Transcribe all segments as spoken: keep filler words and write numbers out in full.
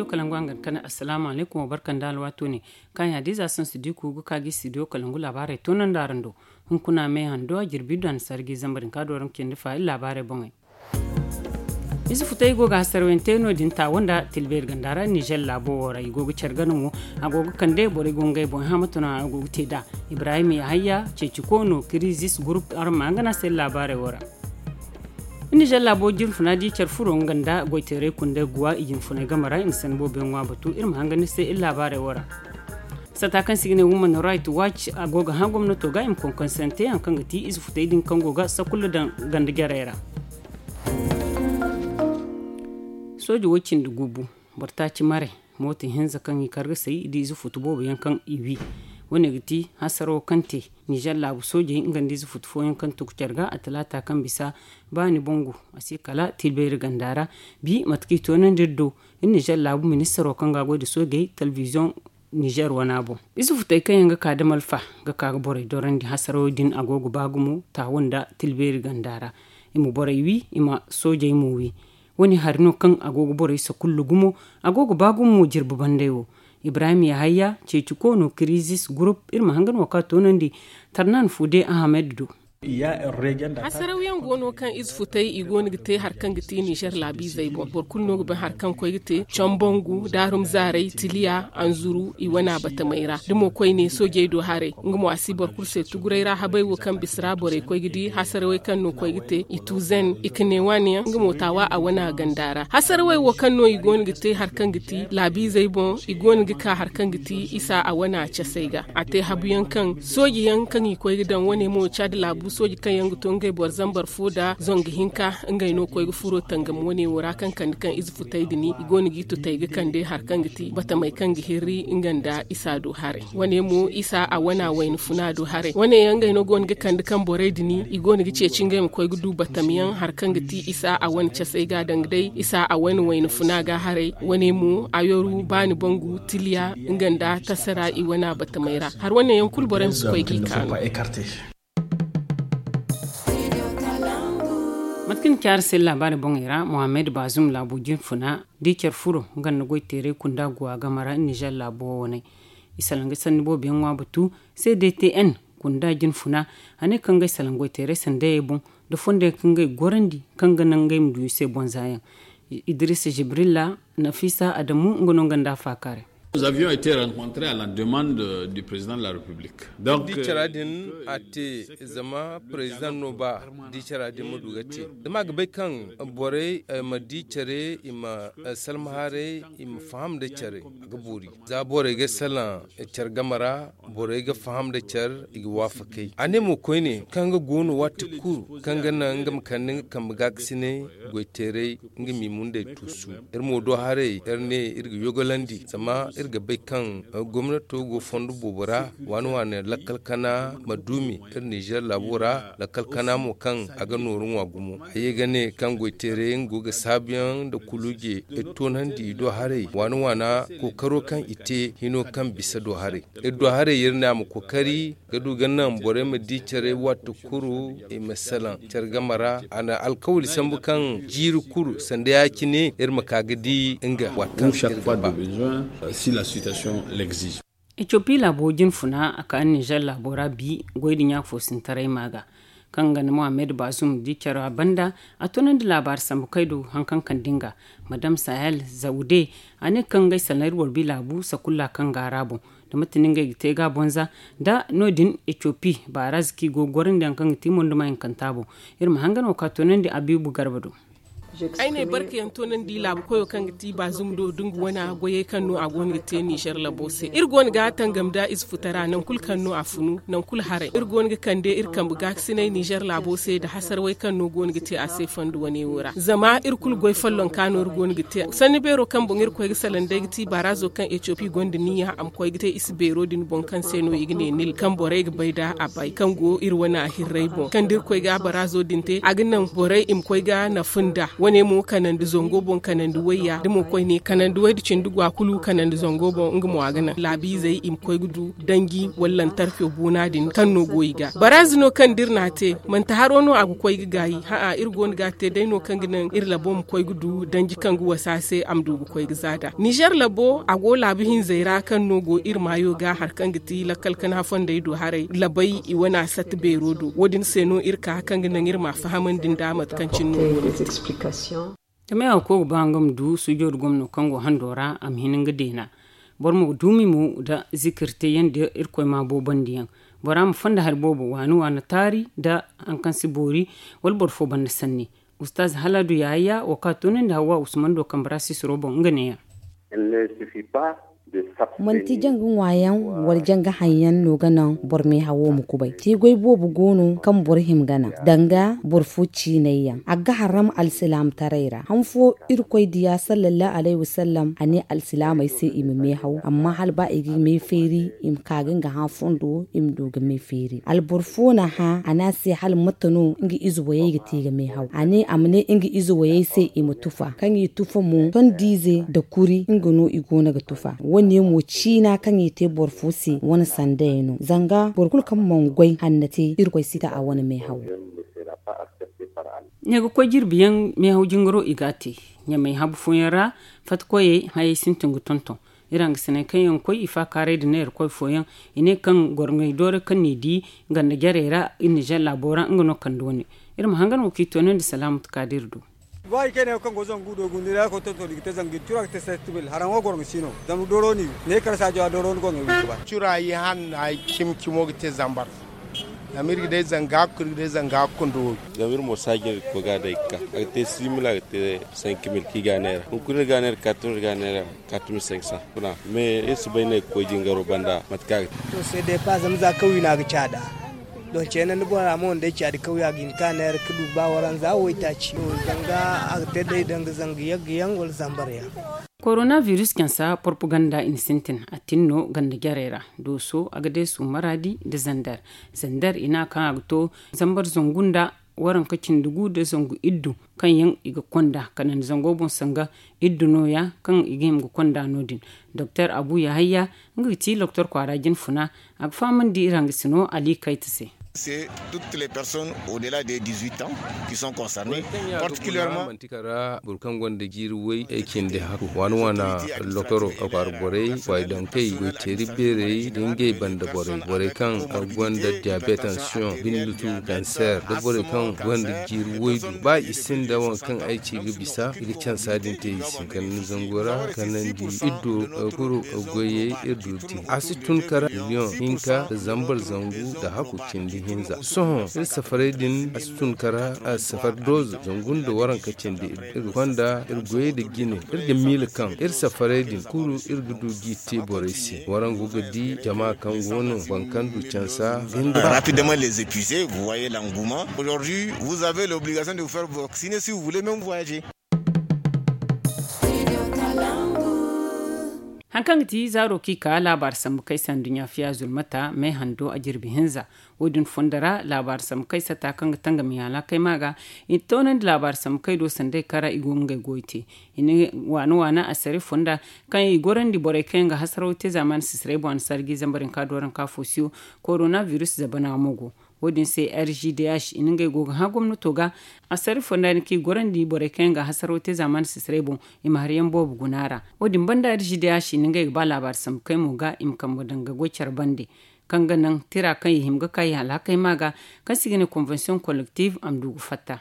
Kalangu a ga kane, assalaamu alaykum, wa barka nda alwaato ne. Kaŋ ya da ize a sansu di ku ga ka ga i studio kalangu laabaarey toonandi araŋ do. Hunkuna me hando a jirbi du a na sarji zamba din ka do araŋ cindi fa iri laabaarey boŋey. Ize futay go ga hasarayaŋ te no- din taawo nda tilbeeri ganda ra nizer laabo wo ra i go ga care gana mo. A go ga kande borey go ngey boŋ hama tana a go ga te da. Ibrahim yahaya ceeci koono kirizis gurup araŋ ma hangana se laabaarey wo ra. Nizer laabo jinfuna di care furo nga nda goyteeray kundey guwa i jinfunay game ra i na sanda boobo yaŋ ŋwa batu iri ma hangana se iri laabaarey wo ra. Sata kaŋ se i ga ne woman right watch a go ga hã gomnato ga i ma konkonsante yaŋ kaŋ ga ti ize futay din kaŋ go ga sakulla daŋ ganda jarey ra. Sooji wo cindi gubu boro taaci maray mooto hinza kaŋ i kar ga say i di ize futu boobo yaŋ kaŋ i wi. Wo- ne ga ti hasaro kaŋ te nizer laabu soojey nga nda ize futu fooyaŋ kaŋ tugu care ga a talaata kaŋ bisa baani bangu a si kala tilbeeri ganda ra. Bi mate kaŋ i toonandi iri do iri nizer laabu ministaro kaŋ ga a goy nda soojey telebiziyoŋ nizer wana boŋ. Ize futey kaŋ yaŋ ga ka da malfa ga ka ga borey dorandi hasarawo din a go ga ba gumo taawo nda tilbeeri ganda ra. I ma borey wi i ma soojey mo wi. Wo- ne hari no kaŋ a go ga borey sakullu gumo. A go ga ba gumo jirbi banday wo. Ibrahim yahaya ceeci koono kirizis gurup iri ma hanga no ka toonandi tarnan fude ahamed do. Hasaraw yaŋ go no kaŋ ize futay i go no ga te hari kaŋ ga ti nizer laabiizey boŋ boro kulu no ga bay hari kaŋ koy ga te combangu daarum zaaray tiliya anzuru i wana batamey ra da mo koyne soojey do haray nga mo a si boro kulu se tuguray ra habay wo kaŋ bisa ra borey koy ga di hasarawey kaŋ no koy ga te i tuuzen i ka ne waani yaŋ nga mo taawa a wana ganda ra hasarawey wo kaŋ no i go no ga te hari kaŋ ga ti laabiizey boŋ i go no ga ka hari kaŋ ga ti isa a wana casey ga a te habuyaŋ kaŋ sooji yaŋ kaŋ i koy ga daŋ wane mo caadi laabu sooji kaŋ yaŋ ga to ngey boro zambar fo da zonga hinka ngey no koy ga furo tangam wane wo ra kaŋ kande kaŋ ize futay din i go no g'i tutay ga kande hari kaŋ ga ti batamey kaŋ ga hirri nga nda isa do haray wane mo isa a wana wayna funa do haray wane yaŋ ngey no go no ga kande kaŋ borey din i go no ga ceeci ngey ma koy ga du batam yaŋ hari kaŋ ga ti isa a wane casey ga danga day isa a wane wayna funa ga haray wane mo a yoru baani bangu tiliya nga nda tasara i wana batamey ra hari wane yaŋ kulu borey ma si koy g'i kaanu. Mate kaŋ ni ci araŋ se laabaari boŋey ra mohammed baazum laabo jinfuna di care furo nga nda goyteeray kunda guwa game ra nizer laabo wo waney i salaŋ ga sanni boobo yaŋ ŋwa batu. C D T N kunda jinfuna a ne kaŋ ga ay salaŋ goyteeray sandayey boŋ nda fondoyaŋ kaŋ ga ay gorandi kaŋ ga naŋ ngey ma du i se bonza yaŋ. Idrisa jibrilla nafisa adamu nga no nga nda a faakaaray. Nous avions été rencontrés à la demande du président de la République. Donc di cara din a te zama président no ba di cara din ma du ga te zama a ga bay kaŋ borey ma di care i ma salma haray i ma faham da care a ga boori za borey ga salaŋ care game ra borey ga faham da care i ga waafakay a ne mo koyne kaŋ ga goono waati kulu kaŋ ga naŋ nga ma kande nga kambe gaakasinay goyteeray nga m'i mundey tuusu. Iri mo do haray iri ne iri ga yogolandi zama iri ga bay kaŋ gomnato go fondo boobo ra waani waani lakkal kana ma duumi iri nizer laabo ra lakkal kana mo kaŋ a ga nooru ŋwa gumo a ye ga ne kaŋ goyteeray nga go ga saabuyaŋ nda kuluuje iri toonandi i do haray waani waana kookaro kaŋ i te hino kaŋ bisa do haray iri do haray iri ne a ma kookari ga du ga naŋ borey ma di care waati kulu i ma salaŋ care game ra a na alkawali sambu kaŋ jiiri kulu sanda ya-cine iri ma ka ga di nga waati kaŋ iri ga ba. Etiopi laabo jinfuna a ka nizer laabo ra bi goy da ɲaafo sintaray ma ga kaŋ ga na mohammed bazum di care banda a tunandi laabaari sambu kay do haŋ kaŋ kande nga madam sahel zaude a ne kaŋ ga ay salaŋ iri boro bi laabu sakulla kaŋ ga a ra boŋ da mate no ngey ga te ga a bonza nda no- din etiopi baaraza kaŋ i go ga gorandi yaŋ kaŋ ga ti monduma hinkanta boŋ. Iri ma hangan wo ka toonandi abibu garba do. Ay ne barkayaŋ toonandi laabu koyo kaŋ ga ti baazum do da nga wana goyey kaŋ no a go no ga te nizer labo se iri go no ga tangam da ize futara nangu kulu kaŋ no a funu nangu kulu haray iri go no ga kande iri kambe gaakasinay nizer laabo se nda hasarwey kaŋ no go no ga te a se fondo wane wo ra zama iri kulu goy follonka no iri go no ga te sanni beero kaŋ boŋ iri koy ga salaŋ day ga ti baarazo kaŋ etiopi gonda niya a ma koy ga te isi beero din boŋ kaŋ se no i ga ne nil kaŋ borey ga bay da a bay kaŋ go iri wane a hirrey boŋ kaŋ da iri koy ga a baraazo din te a ga naŋ borey i ma koy ga nafa nda. Ne mo kanandi zango boŋ kanandi wayya da mo koyne kanandi wayda cindi gwa kulu kanandi zango boŋ nga mo a ga naŋ laabiizey i ma koy ga du danji wala lantarko boona din kaŋ no go i ga baraazi no kaŋ da iri n'a te. Manti haro no a ga koy ga gaayi ha'a iri go no ga a te day no kaŋ ga naŋ iri labo ma koy ga du danji kaŋ ga wasa se a ma du ga koy ga za nd'a nizer labo a go laabu hinzey ra kaŋ no go iri maayo ga hari kaŋ ga ti lakkal kana fondey do haray labay i wane a satta beero do wo- din se no iri ka kaŋ ga naŋ iri m'a fahamandi nd'a mate kaŋ cine no. Zama yaŋ wo kaŋ ga ba nga ma du suujo nda gomno kaŋ go hando ra a ma hin nga deena. Boro ma duumi mo nda zikir teeyaŋ nda irkoy ma boobandiyaŋ. Bora ma fonda hari boobo waani waani taari nda hari kaŋ si boori wala boro fo banda sanni. Ustaaz haladu yahaya wo kaŋ a toonandi hawwa usman do kambe ra sisiro boŋ nga neeyaŋ. Manti janga ŋwaayaŋ wala janga haŋ yaŋ no ga naŋ boro meehawo ma kubay te goy boobo go no kaŋ boro hima ga naŋ danga boro fo ciinay yaŋ a ga haram alsilaamataray ra han fo irkoy diya sallallahu alayhi wasallam a ne alsilaamey se i ma meehaw amma hala ba i ga meefeeri i ma ka ga nga hã fondo i ma du ga meefeeri alboro fo n'a hã a ne a se hala mate no nga ize wayey ga te ga meehaw a ne a ma ne nga ize wayey se i ma tufa kaŋ i tufa mo tondiize nda kuri nga no i go no ga tufa wo- ne mo ciina kaŋ i te boro fo se wane sanda yaŋ no zanga boro kulu kaŋ mana goy hanna te irkoy si ta a wane meehaw. Ne ga koy jirbi yaŋ meehaw jingaro i ga a te ɲamey habu fooyaŋ ra fatta koyey hayey sintin ga tonton. Iri hangasiney kaŋ yaŋ koy i faakaaray nda neera koy fooyaŋ i ne kaŋ gorŋey dooro kaŋ n'i di ganda jarey ra iri nizer laabo ra nga no kande wane. Iri ma hangan wo kaŋ i toonandi salaamatu ka da iri do. Ba i kayna yaŋ kaŋ go zangu do gunde ra koy tonton i ga te zangu i ga cura ga te sestibil haraŋo gorŋo si no. Zama dooro no i ne kar saajo a dooro ni gorŋo i ga ba. Cura i hanna cimi cimo ga te zambar. Zama iri ga day zanga hakku iri ga day zanga hakku nda wooyo. Zama iri mo saaji iri ga koy ga a day ga ka a ga te simil a ga te sankimil kaŋ i ga a neera hunkuna iri ga a neera kaatun iri ga a neera. Kaatun iri sankisa kuna. Mais iri si bay no ay ga koy jingaro banda mate kaŋ a ga te. To se depa zama za kawya no a ga caada. Don ceene nda bora mo nda ay caadi kawya ga hin ka neera ga du ba waranza waytaaci zanga a ga te day danga zanga yagga yaŋ wala zambar yaŋ. Korona virus cansa porpaganda i na sintin a tin no ganda jarey ra. Dooso a ga deesu maraadi nda zander. Zander i ne a kaŋ a ga to zambar zangu nda waranka cindi gu nda zangu iddu kaŋ yaŋ i ga konda kanandi zango boŋ sanga iddu nooya kaŋ i ga hima ga konda no- din. Doktor abu yahayya nga ga ti doktor kwaara jinfuna. A ga fahamandi iri hangasino ali kayta se. Toutes les personnes au dela de dix-huit ans qui sont concernées particulièrement. Manti kara boro kaŋ gonda jiiri way ay cindi hakku waana waana lokoro a kwaara borey kwaayidankey goyteeri beerey da ngey banda borey borey kaŋ gonda diabet tension bindutu kanser da borey kaŋ gonda jiiri waydu ba i sinda waŋ kaŋ ay ci ga bisa i ga cansa din te i se kala ni zango ra kanandi iddo kuru goyey iri du te a si tun kara miliyoŋ hinka da zambar zangu da hakku cindi hinza sohõ iri safaray din a si tun kara safar dooza zangu nda waranka cindi iri ga konda iri goyey da jine iri ga miila kaŋ iri safaray din kulu iri ga du g'i te borey se warangu ga di jama kaŋ go no boro kaŋ du cansa ga hin ga rapidement les épuiser vous voyez l'engouement aujourd'hui vous avez l'obligation de vous faire vacciner si vous voulez même voyager. Hari kaŋ ga ti zaaro kaŋ i ka laabaari sambu kaŋ ay se nduɲɲa fiya zulmata me hando a jirbi hinza. Wo- din fondo ra laabaari sambu kaŋ ay sata kaŋ ga tangami alhakey ma ga i na toonandi laabaari sambu kaŋ ay do sanda ay kara i go ga ngey goy te. I na waana waana asari fonda kaŋ i gorandi borey kaŋ yaŋ ga hasaraw te zaamaani sisirey boŋ a na sarji zambar hinka do waranka fo siyo. Korona virus zabana mo go. Wo- din se r g d h i na ngey go ga hã gomnato ga. Asari fonda din kaŋ i gorandi borey kaŋ yaŋ ga hasaraw te zaamaani sisirey boŋ i ma hari yaŋ boobo guna ra. Wo- din banda r g d h i na ngey ga ba laabaari sambu kaŋ ay mo ga i ma kambe daŋ ga goy care bande. Kaŋ ga naŋ tira kaŋ i hima ga ka i alhakey ma ga kaŋ se i ga ne convention collective a ma du ga fatta.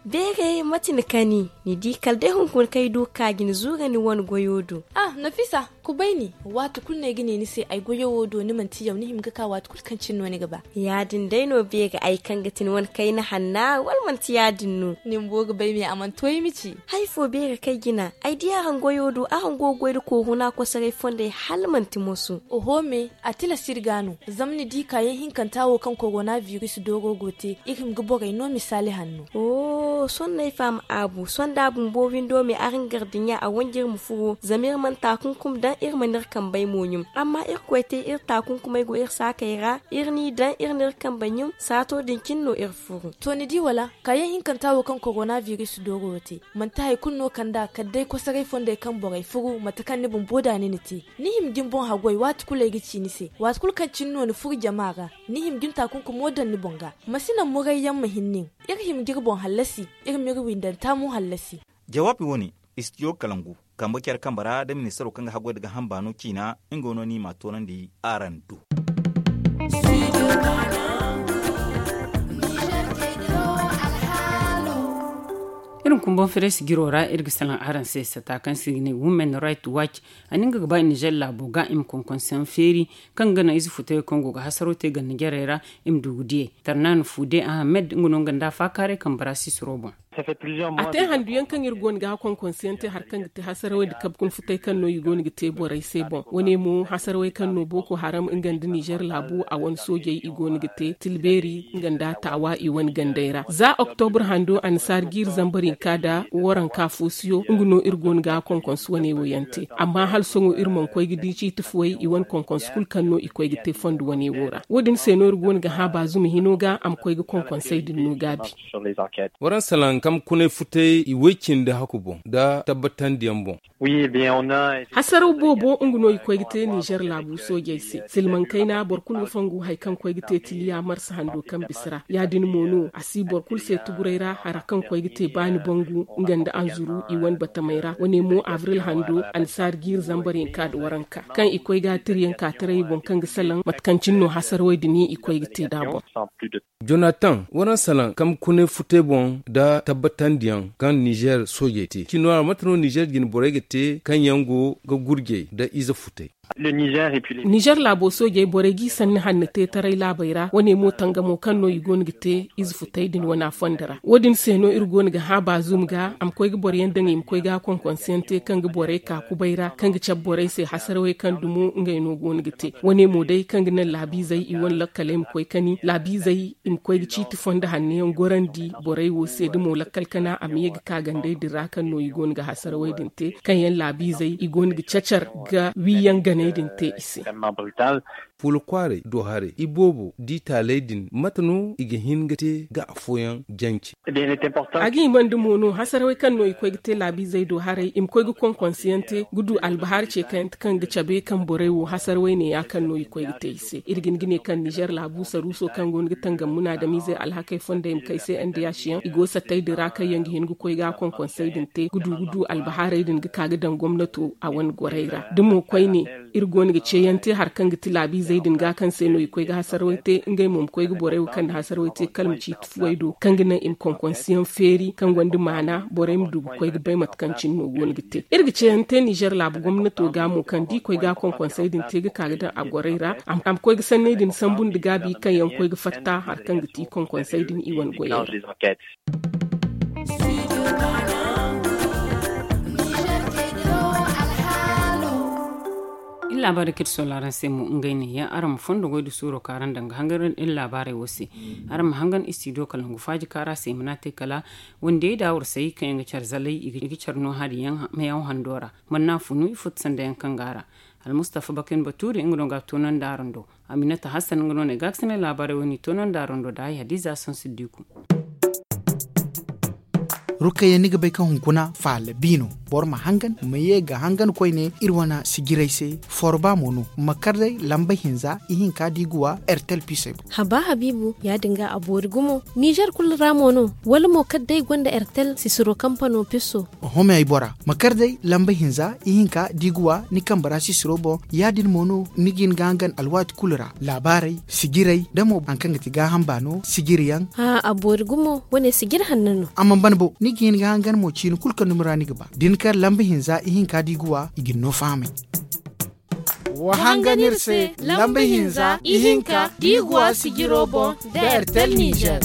Beeray mate ni kani ni di kala day hunkuna kaŋ ay du ga ka jina zuura ni wane goyo do. Ah nafisa. Kubayni, waati kulu no ay ga ne ni se ay goyo wo do ni manti yaw ni hima ga ka waati kulu kaŋ cine no ni ga ba. Ya- din day no beeri ay kaŋ ga ti ni wane kayna hanna wala manti ya- din no? Ni bumbo ga bay me a mana to ay ma ci. Hari fo beeri kaŋ ay jina ay di araŋ goyo do araŋ go ga goy nda kooruna kosoray fondey hala manti moso. Oho me, a tilas iri ga no. Zama ni di kaayaŋ hinkanta wo kaŋ korona biris dooro go te iri hima ga borey no misaali hanno. Sohõ no ay faham aabu sohõ da a bumbo windo me araŋ gardiɲa a wanji iri ma furo zama iri mana taakunkum daŋ iri mana iri kambey mo ɲum. Amma iri koy te iri taakunkumey go iri saakey ra iri n'i daŋ iri n'iri kambey ɲum saato din cine no iri furo. To ni di wala? Kaayaŋ hinkanta wo kaŋ korona biris dooro wo te manti hari kulu no kand'a kala day kosoray fondey kaŋ borey furu mate kaŋ ni bumbo da ni na te. Ni hima ga ni boŋ haggoy waati kulu ay ga ci ni se waati kulu kaŋ cine no ni furu jama ra. Ni hima ga ni taakunkumo daŋ ni boŋ ga. Ma si naŋ murayyaŋ ma hin nin. Iri hima ga iri boŋ hallasi. Iri ma iri windanta mo hallasi. Jawaabi wo- ne, istijo kalangu kambe care kambe ra nda ministaro kaŋ ga haggoy nda gaaham baano ciina nga no ni m'a toonandi araŋ do. Iri ma kumbaŋ fereesi jiro ra iri ga salaŋ araŋ se sata kaŋ se i ga ne women right watch. A na nga ga ba ninzeer laabo ga i ma konkonseyaŋ feeri kaŋ ga naŋ ize futay kaŋ go ga hasaro te ganda jarey ra i ma du ga diyey. Tarnaana fuude ahamed nga no nga nda a faakaaray kambe ra sisiro boŋ. A te handu yaŋ kaŋ iri go no ga a konkonseyaŋ te hari kaŋ ga te hasarawey nda kabe kuna futay kaŋ no i go no ga te borey se boŋ wane mo hasarawey kaŋ no booko haram nga nda ninzeer laabu a wane soojey i go no ga te tilbeeri nga nda a taawa i wane gandey ra za oktobur hando annasaara jiiri zambar hinka nda waranka foosiyo nga no iri go no ga a konkonse wane wo yaŋ te. Amma hala sohõ iri mana koy ga di ciiti fuwey i wane konkonse kulu kaŋ no i koy ga te fondo wane wo ra wo- din se no iri go no ga hã baazum hino ga a ma koy ga konkonsey din no gaabi. Waraŋ salaŋ kambe kunay futay i way-cindi haku boŋ nda tabbatandiyaŋ boŋ. Hasaraw boobo nga no i koy ga te ninzeer laabu soojey se silmaŋ kayna boro kulu ga fongu hari kaŋ koy ga te tiliya marsa hando kaŋ bisa ra ya- din mo no a si boro kulu se tuguray ra hara kaŋ koy ga te baani bangu nga nda anzuru i wane batamey ra wane mo abril hando annasaara jiiri zambar hinka nda waranka kaŋ i koy ga a tiriyaŋ ka taray i boŋ kaŋ ga salaŋ mate kaŋ cine no hasarawey din i koy ga te nd'a boŋ. Jonatan waraŋ salaŋ kambe kunay futay boŋ nda tabbatandiyaŋ kaŋ ninzeer soojey te cino ra mate no ninzeer jine borey ga te kaŋ yaŋ go ga gurjey nda ize futay. Ninzeer laabo soojey borey g'i sanni hanno te taray laabey ra wane mo tangamo kaŋ no i go no ga te ize futay din wane a fondo ra wo- din se no iri go no ga hã baazum ga a ma koy ga boro yaŋ daŋ i ma koy ga a konkonseyaŋ te kaŋ ga borey ka kubay ra kaŋ ga cabe borey se hasarawey kaŋ dumo ngey no go no ga te wane mo day kaŋ ga naŋ laabiizey i wane lakkaley ma koy kani laabiizey i ma koy ga ciiti fondo hanno yaŋ gorandi borey wo se da mo lakkal kana a ma ye ga ka gandey din ra kaŋ no i go no ga hasarawey din te kaŋ yaŋ laabiizey i go no ga cacar ga wiiyaŋ ganey din te i se. Fuula kwaaray do haray i boobo di taaley din mate no i ga hin ga te ga afooyaŋ jance? A ga himandi mo no hasarawey kaŋ no i koy ga te laabiizey do haray i ma koy ga konkonseyaŋ te ga du albahaari ce kayante kaŋ ga cabe kaŋ borey wo hasarawey ne ya kaŋ no i koy ga te i se iri ga hin ga ne kaŋ ninzeer laabu saruuso kaŋ go no ga tangam munaadamiizey alhakey fondey ma kay se ndh yaŋ i go sattey din ra kaŋ yaŋ ga hin ga koy ga a konkonsey din te ga du ga du albahaarey din ga ka ga daŋ gomnato a wane gorey ra da mo koyne iri go no ga ceeyaŋ te hari kaŋ ga ti laabiizey din ga kaŋ se no i koy ga hasarawey te ngey mo ma koy ga borey wo kaŋ na hasarawey te kala ma ciiti fuwey do kaŋ ga naŋ i ma konkonsiyaŋ feeri kaŋ gonda maana borey ma du ga koy ga bay mate kaŋ cine no go no ga te iri ga ceeyaŋ te nizer laabu gomnato ga mo kaŋ da i koy ga konkonsey din te ga ka ga daŋ a gorey ra a ma koy ga sanney din sambu nda gaabi kaŋ yaŋ koy ga fatta hari kaŋ ga ti konkonsey din i wane goyey ra. Iri laabaarey kaŋ iri soola araŋ se mo ngey neeya araŋ ma fondo goy nda suuro kaŋ araŋ daŋ ga hangan iri laabaarey wo se. Araŋ ma hangan istidiyo kalangu faaji kaŋ ra se i mana te kala wandiyey da warsayey kaŋ yaŋ ga care zalay i ga care no hari yaŋ meyaŋ hando ra. Manna funu i futta sanda yaŋ kaŋ go a ra. Almustafa bakin batuuri nga no ga a toonandi araŋ do. Aminata hassan nga no na ay gaakasinay laabaarey wo-ne i toonandi araŋ do da ay hadiza sansiddiku. Rukayya ni ga bay kaŋ hunkuna faala bi no. Boro ma hangan ma ye ga hangan koyne iri wane sijiray se. Forba mo no ma kar day lamba hinza ihinka da i ga wa ertel pisey boŋ. Haba habiibu ya- din ga a boori gumo nizer kulu ra mo no? Wala mo kala day gonda ertel sisiro kampano piso. Oho me ay bora ma kar day lamba hinza ihinka da i ga wa ni kambe ra sisiro boŋ. Ya- din mo no ni ga hin ga hangan alwaati kulu ra laabaarey sijiray da mo hari kaŋ ga ti gaaham baano sijiri yaŋ. A boori gumo wane sijiri hanno no. A mana ban bo ni ga hin ga hangan mo ciini kulu kaŋ dumi ra ni ga ba da ni kar lamba hinza ihinka da i ga wa i ga ni no fahamay. Wa hangan iri se lamba hinza ihinka da i go a sijiro boŋ da ertel nizer.